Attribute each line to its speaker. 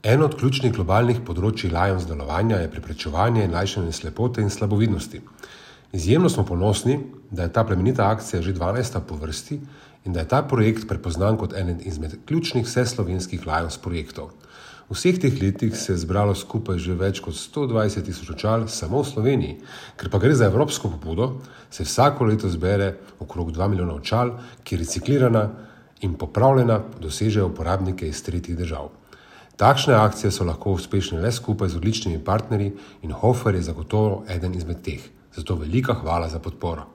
Speaker 1: Eno od ključnih globalnih področji Lions delovanja je preprečevanje in lajšanje slepote in slabovidnosti. Izjemno smo ponosni, da je ta plemenita akcija že 12. po vrsti in da je ta projekt prepoznan kot eden izmed ključnih vseslovenskih Lions projektov. V vseh teh letih se je zbralo skupaj že več kot 120.000 očal samo v Sloveniji. Ker pa gre za evropsko pobudo, se vsako leto zbere okrog 2 milijona očal, ki reciklirana in popravljena dosežejo uporabnike iz tretjih držav. Takšne akcije so lahko uspešne le skupaj z odličnimi partnerji in Hofer je zagotovo eden izmed teh. Zato velika hvala za podporo.